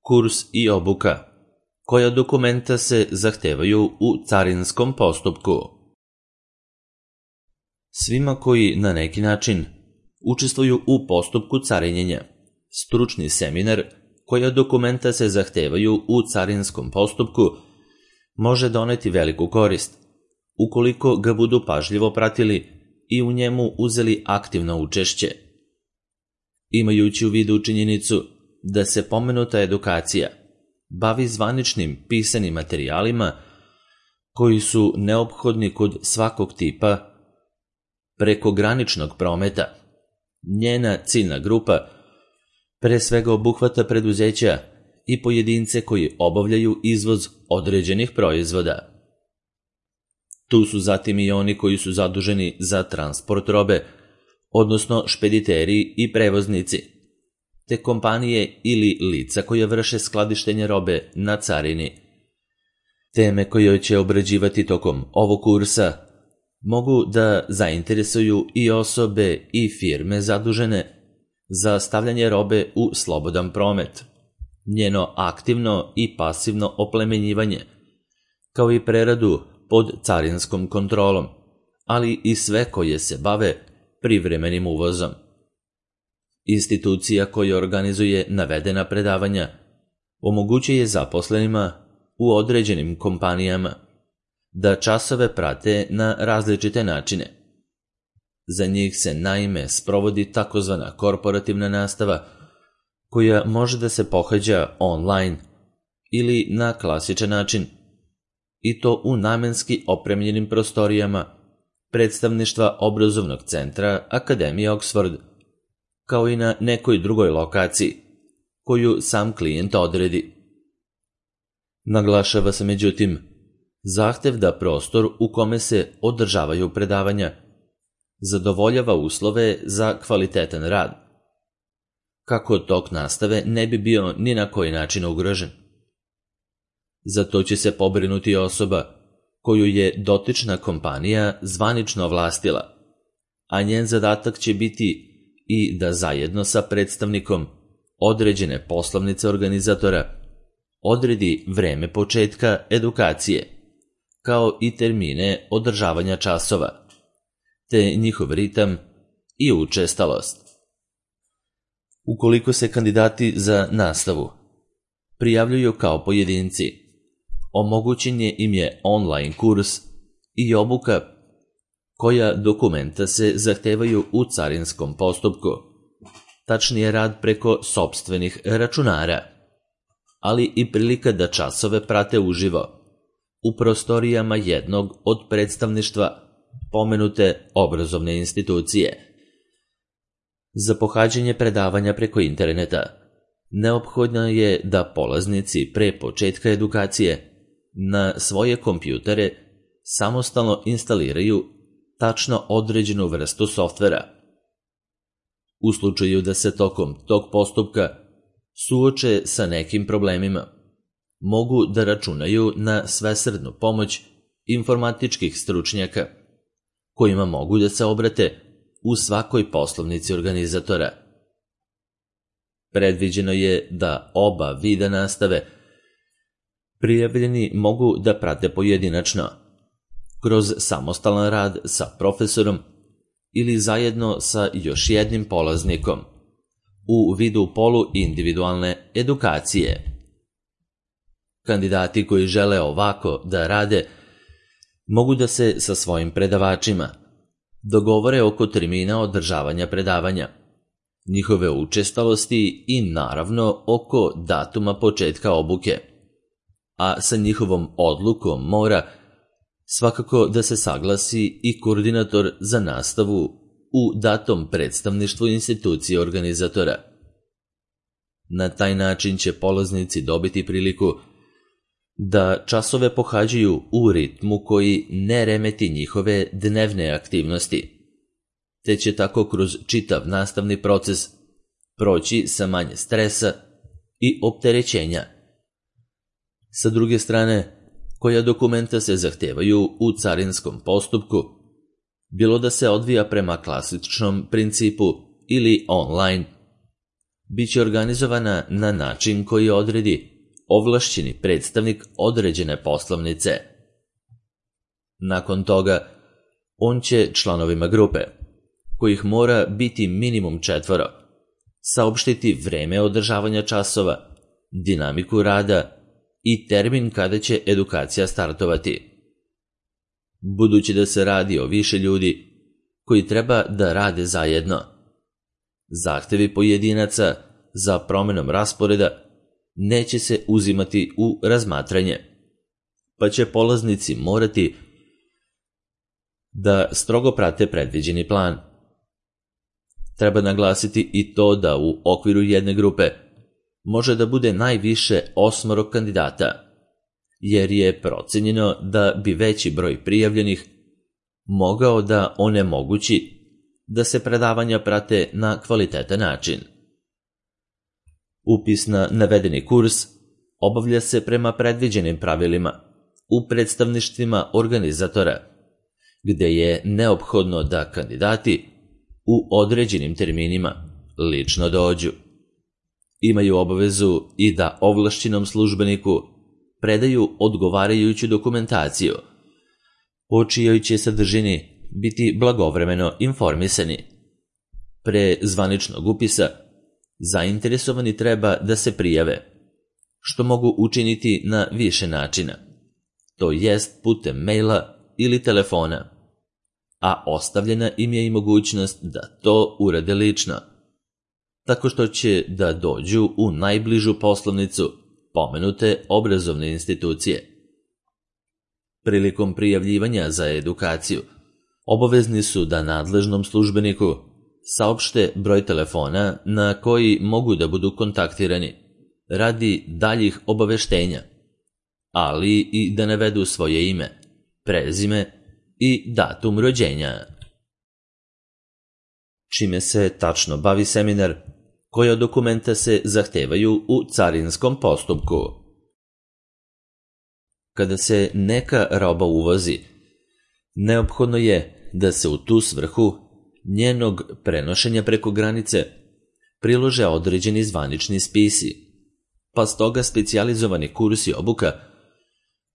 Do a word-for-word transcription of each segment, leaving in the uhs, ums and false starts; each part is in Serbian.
kurs i obuka, koja dokumenta se zahtevaju u carinskom postupku. Svima koji na neki način učestvuju u postupku carinjenja, stručni seminar koja dokumenta se zahtevaju u carinskom postupku može doneti veliku korist, ukoliko ga budu pažljivo pratili i u njemu uzeli aktivno učešće. Imajući u vidu činjenicu da se pomenuta edukacija bavi zvaničnim pisanim materijalima koji su neophodni kod svakog tipa prekograničnog prometa, njena ciljna grupa pre svega obuhvata preduzeća i pojedince koji obavljaju izvoz određenih proizvoda. Tu su zatim i oni koji su zaduženi za transport robe, odnosno špediteri i prevoznici, te kompanije ili lica koje vrše skladištenje robe na carini. Teme koje će obrađivati tokom ovog kursa mogu da zainteresuju i osobe i firme zadužene za stavljanje robe u slobodan promet, njeno aktivno i pasivno oplemenjivanje, kao i preradu pod carinskom kontrolom, ali i sve koje se bave privremenim uvozom. Institucija koja organizuje navedena predavanja omogućuje zaposlenima u određenim kompanijama da časove prate na različite načine. Za njih se naime sprovodi takozvana korporativna nastava koja može da se pohađa online ili na klasičan način, i to u namenski opremljenim prostorijama predstavništva obrazovnog centra Akademije Oxford, kao i na nekoj drugoj lokaciji koju sam klijent odredi. Naglašava se međutim zahtev da prostor u kome se održavaju predavanja zadovoljava uslove za kvalitetan rad, kako tok nastave ne bi bio ni na koji način ugrožen. Za to će se pobrinuti osoba koju je dotična kompanija zvanično ovlastila, a njen zadatak će biti i da zajedno sa predstavnikom određene poslovnice organizatora odredi vreme početka edukacije, kao i termine održavanja časova, te njihov ritam i učestalost. Ukoliko se kandidati za nastavu prijavljuju kao pojedinci, omogućen je im je online kurs i obuka koja dokumenta se zahtevaju u carinskom postupku, tačnije rad preko sopstvenih računara, ali i prilika da časove prate uživo u prostorijama jednog od predstavništva pomenute obrazovne institucije. Za pohađanje predavanja preko interneta neophodno je da polaznici pre početka edukacije na svoje kompjutere samostalno instaliraju tačno određenu vrstu softvera. U slučaju da se tokom tog postupka suoče sa nekim problemima, mogu da računaju na svesrdnu pomoć informatičkih stručnjaka, kojima mogu da se obrate u svakoj poslovnici organizatora. Predviđeno je da oba vida nastave prijavljeni mogu da prate pojedinačno, kroz samostalan rad sa profesorom ili zajedno sa još jednim polaznikom, u vidu poluindividualne edukacije. Kandidati koji žele ovako da rade mogu da se sa svojim predavačima dogovore oko termina održavanja predavanja, njihove učestalosti i naravno oko datuma početka obuke, a sa njihovom odlukom mora svakako da se saglasi i koordinator za nastavu u datom predstavništvu institucije organizatora. Na taj način će polaznici dobiti priliku da časove pohađaju u ritmu koji ne remeti njihove dnevne aktivnosti, te će tako kroz čitav nastavni proces proći sa manje stresa i opterećenja. Sa druge strane, koja dokumenta se zahtevaju u carinskom postupku, bilo da se odvija prema klasičnom principu ili online, biće organizovana na način koji odredi ovlašćeni predstavnik određene poslovnice. Nakon toga, on će članovima grupe, kojih mora biti minimum četvoro, saopštiti vreme održavanja časova, dinamiku rada i termin kada će edukacija startovati. Budući da se radi o više ljudi koji treba da rade zajedno, zahtevi pojedinaca za promenom rasporeda neće se uzimati u razmatranje, pa će polaznici morati da strogo prate predviđeni plan. Treba naglasiti i to da u okviru jedne grupe može da bude najviše osmoro kandidata, jer je procenjeno da bi veći broj prijavljenih mogao da onemogući da se predavanja prate na kvalitetan način. Upis na navedeni kurs obavlja se prema predviđenim pravilima u predstavništvima organizatora, gde je neophodno da kandidati u određenim terminima lično dođu. Imaju obavezu i da ovlašćenom službeniku predaju odgovarajuću dokumentaciju, o čijoj će sadržini biti blagovremeno informisani. Pre zvaničnog upisa zainteresovani treba da se prijave, što mogu učiniti na više načina, to jest putem maila ili telefona, a ostavljena im je i mogućnost da to urade lično, tako što će da dođu u najbližu poslovnicu pomenute obrazovne institucije. Prilikom prijavljivanja za edukaciju, obavezni su da nadležnom službeniku saopšte broj telefona na koji mogu da budu kontaktirani radi daljih obaveštenja, ali i da navedu svoje ime, prezime i datum rođenja. Čime se tačno bavi seminar, koja dokumenta se zahtevaju u carinskom postupku. Kada se neka roba uvozi, neophodno je da se u tu svrhu njenog prenošenja preko granice prilože određeni zvanični spisi, pa stoga specijalizovani kursi obuka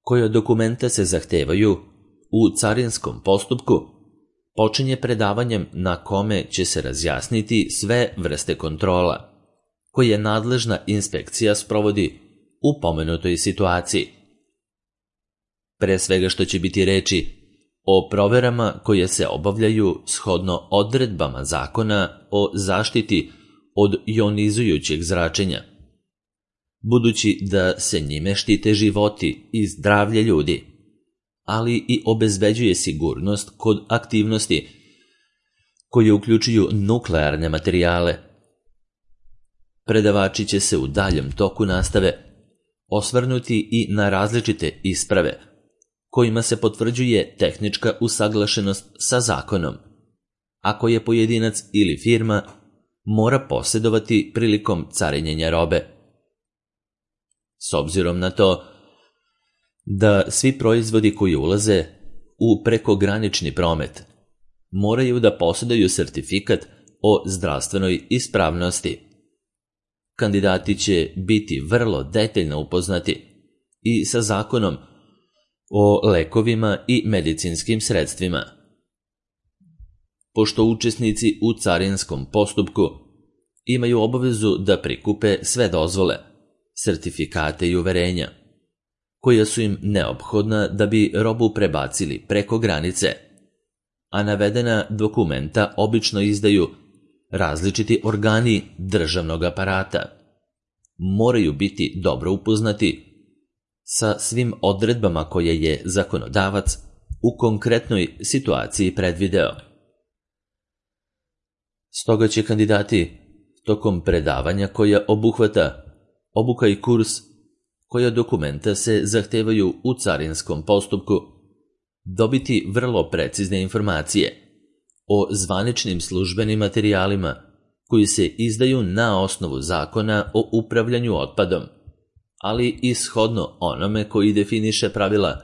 koja dokumenta se zahtevaju u carinskom postupku počinje predavanjem na kome će se razjasniti sve vrste kontrola koje nadležna inspekcija sprovodi u pomenutoj situaciji. Pre svega što će biti reči o proverama koje se obavljaju shodno odredbama zakona o zaštiti od jonizujućeg zračenja, budući da se njime štite životi i zdravlje ljudi, ali i obezbeđuje sigurnost kod aktivnosti koje uključuju nuklearne materijale. Predavači će se u daljem toku nastave osvrnuti i na različite isprave kojima se potvrđuje tehnička usaglašenost sa zakonom, a koje pojedinac ili firma mora posjedovati prilikom carinjenja robe. S obzirom na to da svi proizvodi koji ulaze u prekogranični promet moraju da posjeduju sertifikat o zdravstvenoj ispravnosti, kandidati će biti vrlo detaljno upoznati i sa zakonom o lekovima i medicinskim sredstvima. Pošto učesnici u carinskom postupku imaju obavezu da prikupe sve dozvole, sertifikate i uverenja, koja su im neophodna da bi robu prebacili preko granice, a navedena dokumenta obično izdaju različiti organi državnog aparata, moraju biti dobro upoznati sa svim odredbama koje je zakonodavac u konkretnoj situaciji predvideo. Stoga će kandidati tokom predavanja koja obuhvata obuka i kurs koja dokumenta se zahtevaju u carinskom postupku dobiti vrlo precizne informacije o zvaničnim službenim materijalima koji se izdaju na osnovu zakona o upravljanju otpadom, ali i shodno onome koji definiše pravila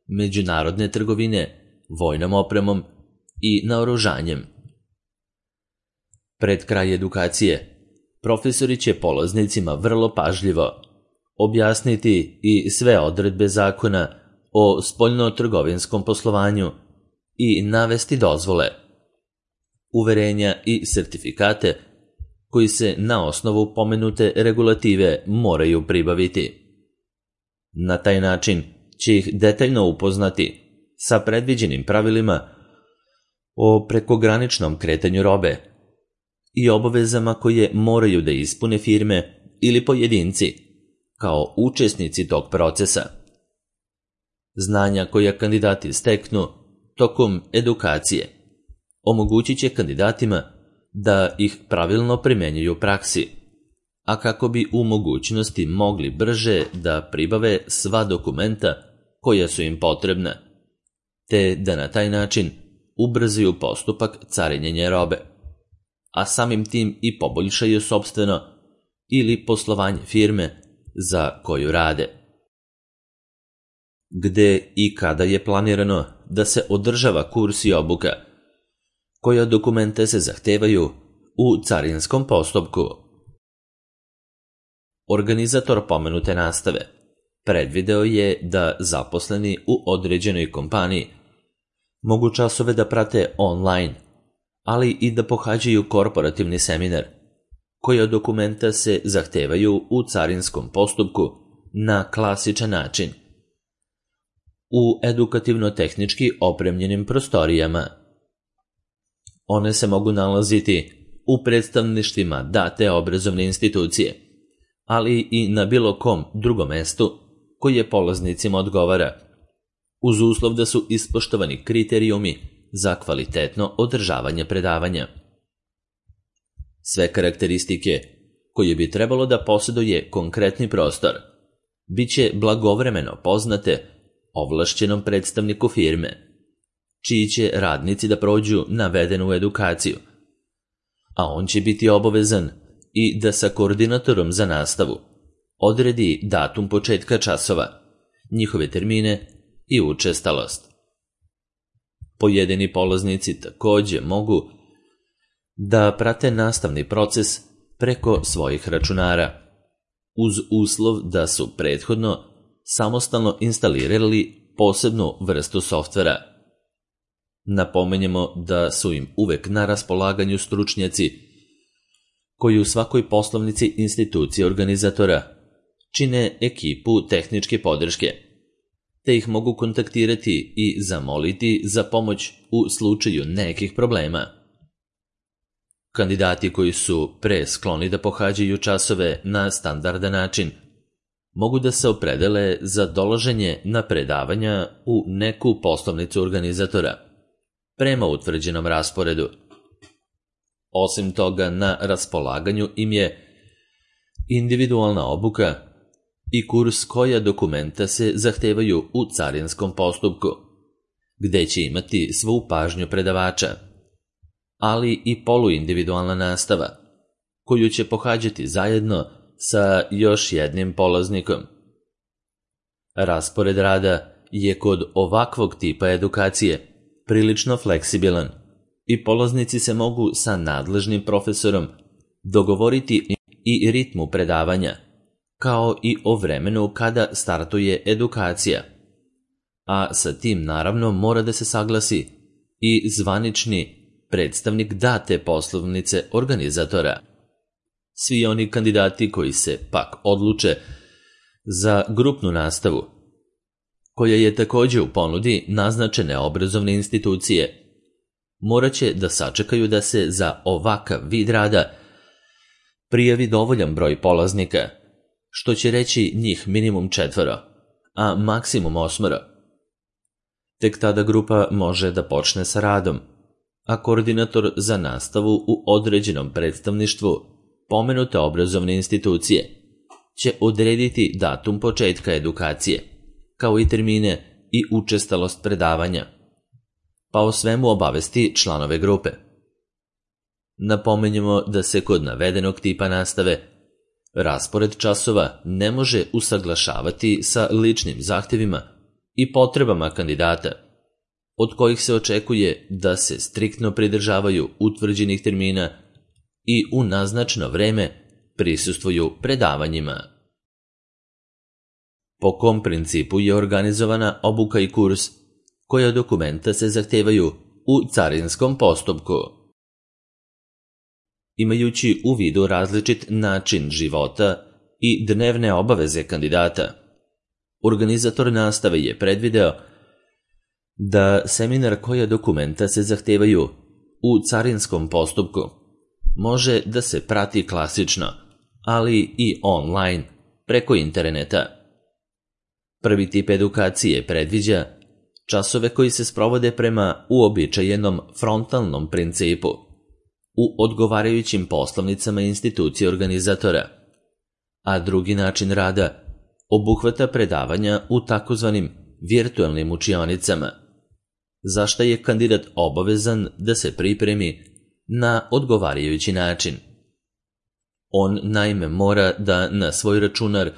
međunarodne trgovine, vojnom opremom i naoružanjem. Pred kraj edukacije, profesori će polaznicima vrlo pažljivo objasniti i sve odredbe zakona o spoljno-trgovinskom poslovanju i navesti dozvole, uverenja i sertifikate koji se na osnovu pomenute regulative moraju pribaviti. Na taj način će ih detaljno upoznati sa predviđenim pravilima o prekograničnom kretanju robe i obavezama koje moraju da ispune firme ili pojedinci kao učesnici tog procesa. Znanja koja kandidati steknu tokom edukacije omogućit će kandidatima da ih pravilno primenjuju u praksi, a kako bi u mogućnosti mogli brže da pribave sva dokumenta koja su im potrebna, te da na taj način ubrzaju postupak carinjenja robe, a samim tim i poboljšaju sopstveno ili poslovanje firme za koju rade. Gde i kada je planirano da se održava kurs i obuka, koja dokumente se zahtevaju u carinskom postupku. Organizator pomenute nastave predvideo je da zaposleni u određenoj kompaniji mogu časove da prate online, ali i da pohađaju korporativni seminar, koja dokumenta se zahtevaju u carinskom postupku na klasičan način, u edukativno-tehnički opremljenim prostorijama. One se mogu nalaziti u predstavništvima date obrazovne institucije, ali i na bilo kom drugom mestu koje polaznicima odgovara, uz uslov da su ispoštovani kriterijumi za kvalitetno održavanje predavanja. Sve karakteristike koje bi trebalo da posjeduje konkretni prostor biće blagovremeno poznate ovlašćenom predstavniku firme, čiji će radnici da prođu navedenu edukaciju, a on će biti obavezan i da sa koordinatorom za nastavu odredi datum početka časova, njihove termine i učestalost. Pojedini polaznici takođe mogu da prate nastavni proces preko svojih računara, uz uslov da su prethodno samostalno instalirali posebnu vrstu softvera. Napomenjemo da su im uvek na raspolaganju stručnjaci koji u svakoj poslovnici institucije organizatora čine ekipu tehničke podrške, te ih mogu kontaktirati i zamoliti za pomoć u slučaju nekih problema. Kandidati koji su pre skloni da pohađaju časove na standardan način mogu da se opredele za dolaženje na predavanja u neku poslovnicu organizatora prema utvrđenom rasporedu. Osim toga, na raspolaganju im je individualna obuka i kurs koja dokumenta se zahtevaju u carinskom postupku, gde će imati svu pažnju predavača, ali i poluindividualna nastava, koju će pohađati zajedno sa još jednim polaznikom. Raspored rada je kod ovakvog tipa edukacije prilično fleksibilan i polaznici se mogu sa nadležnim profesorom dogovoriti i ritmu predavanja, kao i o vremenu kada startuje edukacija, a sa tim naravno mora da se saglasi i zvanični predstavnik date poslovnice organizatora. Svi oni kandidati koji se pak odluče za grupnu nastavu, koja je takođe u ponudi naznačene obrazovne institucije, morat će da sačekaju da se za ovakav vid rada prijavi dovoljan broj polaznika, što će reći njih minimum četvoro, a maksimum osmoro. Tek tada grupa može da počne sa radom, a koordinator za nastavu u određenom predstavništvu pomenute obrazovne institucije će odrediti datum početka edukacije, kao i termine i učestalost predavanja, pa o svemu obavesti članove grupe. Napomenjemo da se kod navedenog tipa nastave raspored časova ne može usaglašavati sa ličnim zahtevima i potrebama kandidata, od kojih se očekuje da se striktno pridržavaju utvrđenih termina i u naznačeno vreme prisustvuju predavanjima. Po kom principu je organizovana obuka i kurs, koja dokumenta se zahtevaju u carinskom postupku? Imajući u vidu različit način života i dnevne obaveze kandidata, organizator nastave je predvideo da seminar koja dokumenta se zahtevaju u carinskom postupku može da se prati klasično, ali i online, preko interneta. Prvi tip edukacije predviđa časove koji se sprovode prema uobičajenom frontalnom principu u odgovarajućim poslovnicama institucije organizatora, a drugi način rada obuhvata predavanja u takozvanim virtualnim učionicama, za šta je kandidat obavezan da se pripremi na odgovarajući način. On naime mora da na svoj računar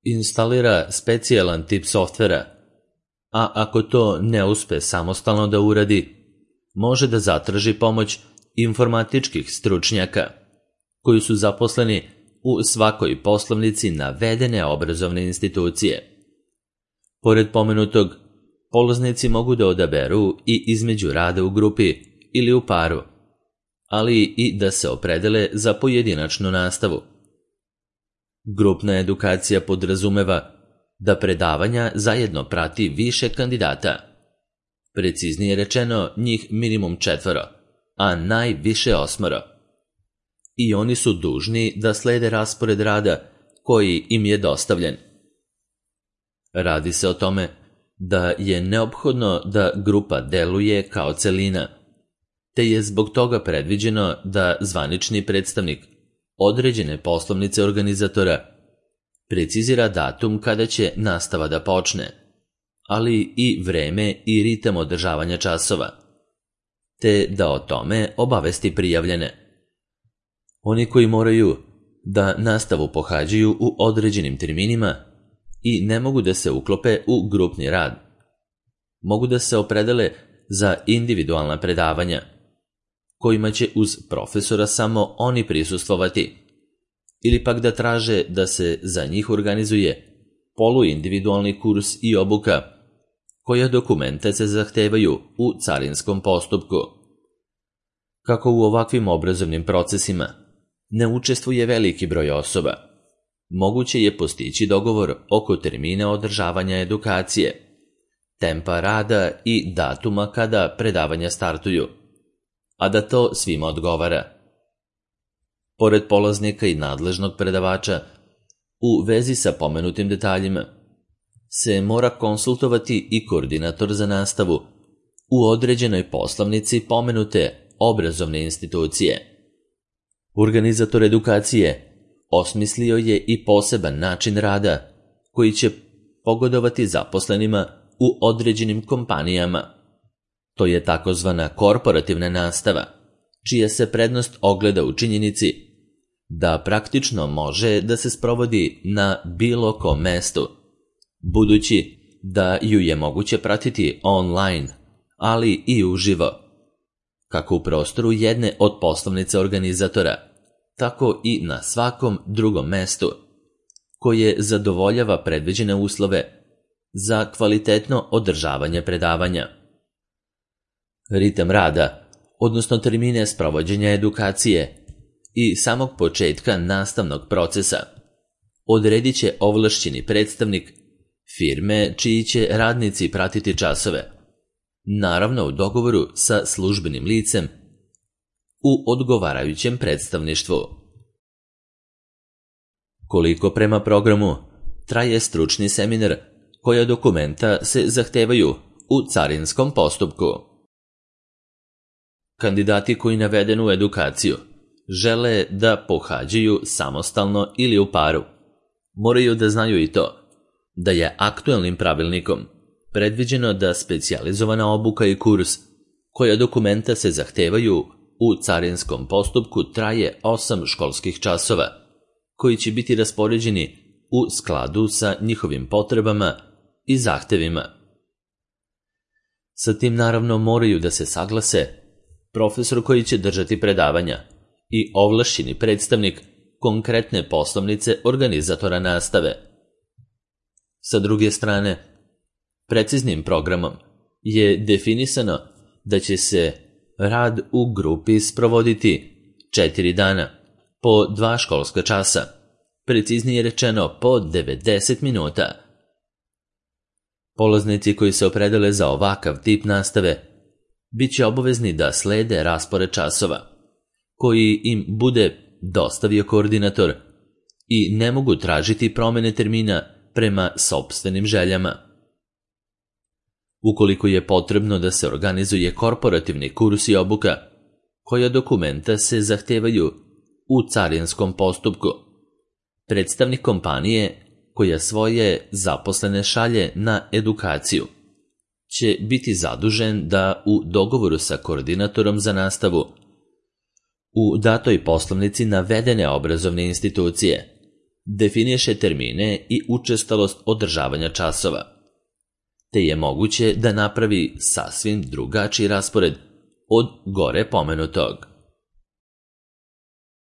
instalira specijalan tip softvera, a ako to ne uspe samostalno da uradi, može da zatraži pomoć informatičkih stručnjaka koji su zaposleni u svakoj poslovnici navedene obrazovne institucije. Pored pomenutog, polaznici mogu da odaberu i između rada u grupi ili u paru, ali i da se opredele za pojedinačnu nastavu. Grupna edukacija podrazumeva da predavanja zajedno prati više kandidata. Preciznije rečeno, njih minimum četvoro, a najviše osmoro. I oni su dužni da slede raspored rada koji im je dostavljen. Radi se o tome da je neophodno da grupa deluje kao celina, te je zbog toga predviđeno da zvanični predstavnik određene poslovnice organizatora precizira datum kada će nastava da počne, ali i vreme i ritam održavanja časova, te da o tome obavesti prijavljene. Oni koji moraju da nastavu pohađaju u određenim terminima i ne mogu da se uklope u grupni rad, mogu da se opredele za individualna predavanja, kojima će uz profesora samo oni prisustvovati, ili pak da traže da se za njih organizuje poluindividualni kurs i obuka, koja dokumenta se zahtevaju u carinskom postupku. Kako u ovakvim obrazovnim procesima ne učestvuje veliki broj osoba, moguće je postići dogovor oko termina održavanja edukacije, tempa rada i datuma kada predavanja startuju, a da to svima odgovara. Pored polaznika i nadležnog predavača, u vezi sa pomenutim detaljima, se mora konsultovati i koordinator za nastavu u određenoj poslovnici pomenute obrazovne institucije. Organizator edukacije osmislio je i poseban način rada koji će pogodovati zaposlenima u određenim kompanijama. To je takozvana korporativna nastava, čija se prednost ogleda u činjenici da praktično može da se sprovodi na bilo kom mestu, budući da ju je moguće pratiti online, ali i uživo, kako u prostoru jedne od poslovnice organizatora, tako i na svakom drugom mestu, koje zadovoljava predviđene uslove za kvalitetno održavanje predavanja. Ritam rada, odnosno termine sprovođenja edukacije i samog početka nastavnog procesa, odredit će ovlašćeni predstavnik firme čiji će radnici pratiti časove, naravno u dogovoru sa službenim licem u odgovarajućem predstavništvu. Koliko prema programu traje stručni seminar koja dokumenta se zahtevaju u carinskom postupku? Kandidati koji navedenu edukaciju žele da pohađaju samostalno ili u paru, moraju da znaju i to da je aktuelnim pravilnikom predviđeno da specijalizovana obuka i kurs koja dokumenta se zahtevaju u carinskom postupku traje osam školskih časova, koji će biti raspoređeni u skladu sa njihovim potrebama i zahtevima. Sa tim naravno moraju da se saglase profesor koji će držati predavanja i ovlašćeni predstavnik konkretne poslovnice organizatora nastave. Sa druge strane, preciznim programom je definisano da će se rad u grupi sprovoditi četiri dana, po dva školska časa, preciznije rečeno po devedeset minuta. Polaznici koji se opredele za ovakav tip nastave bit će obavezni da slede raspored časova, koji im bude dostavio koordinator i ne mogu tražiti promene termina prema sopstvenim željama. Ukoliko je potrebno da se organizuje korporativni kurs i obuka, koja dokumenta se zahtevaju u carinskom postupku, predstavnik kompanije koja svoje zaposlene šalje na edukaciju će biti zadužen da u dogovoru sa koordinatorom za nastavu u datoj poslovnici navedene obrazovne institucije definiše termine i učestalost održavanja časova, te je moguće da napravi sasvim drugačiji raspored od gore pomenutog.